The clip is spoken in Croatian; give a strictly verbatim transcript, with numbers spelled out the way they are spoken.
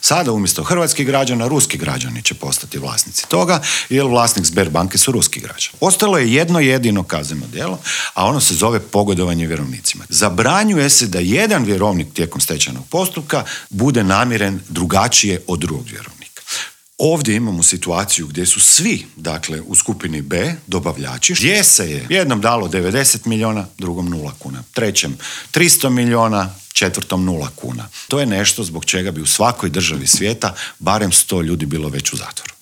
Sada umjesto hrvatskih građana, ruski građani će postati vlasnici toga, jer vlasnik Sberbanke su ruski građani. Ostalo je jedno jedino kazneno djelo, a ono se zove pogodovanje vjerovnicima. Zabranjuje se da jedan vjerovnik tijekom stečajnog postupka bude namiren drugačije od drugog vjerovnika. Ovdje imamo situaciju gdje su svi, dakle, u skupini B, dobavljači, gdje se je jednom dalo devedeset milijuna, drugom nula kuna, trećem tristo milijuna, četvrtom nula kuna. To je nešto zbog čega bi u svakoj državi svijeta barem sto ljudi bilo već u zatvoru.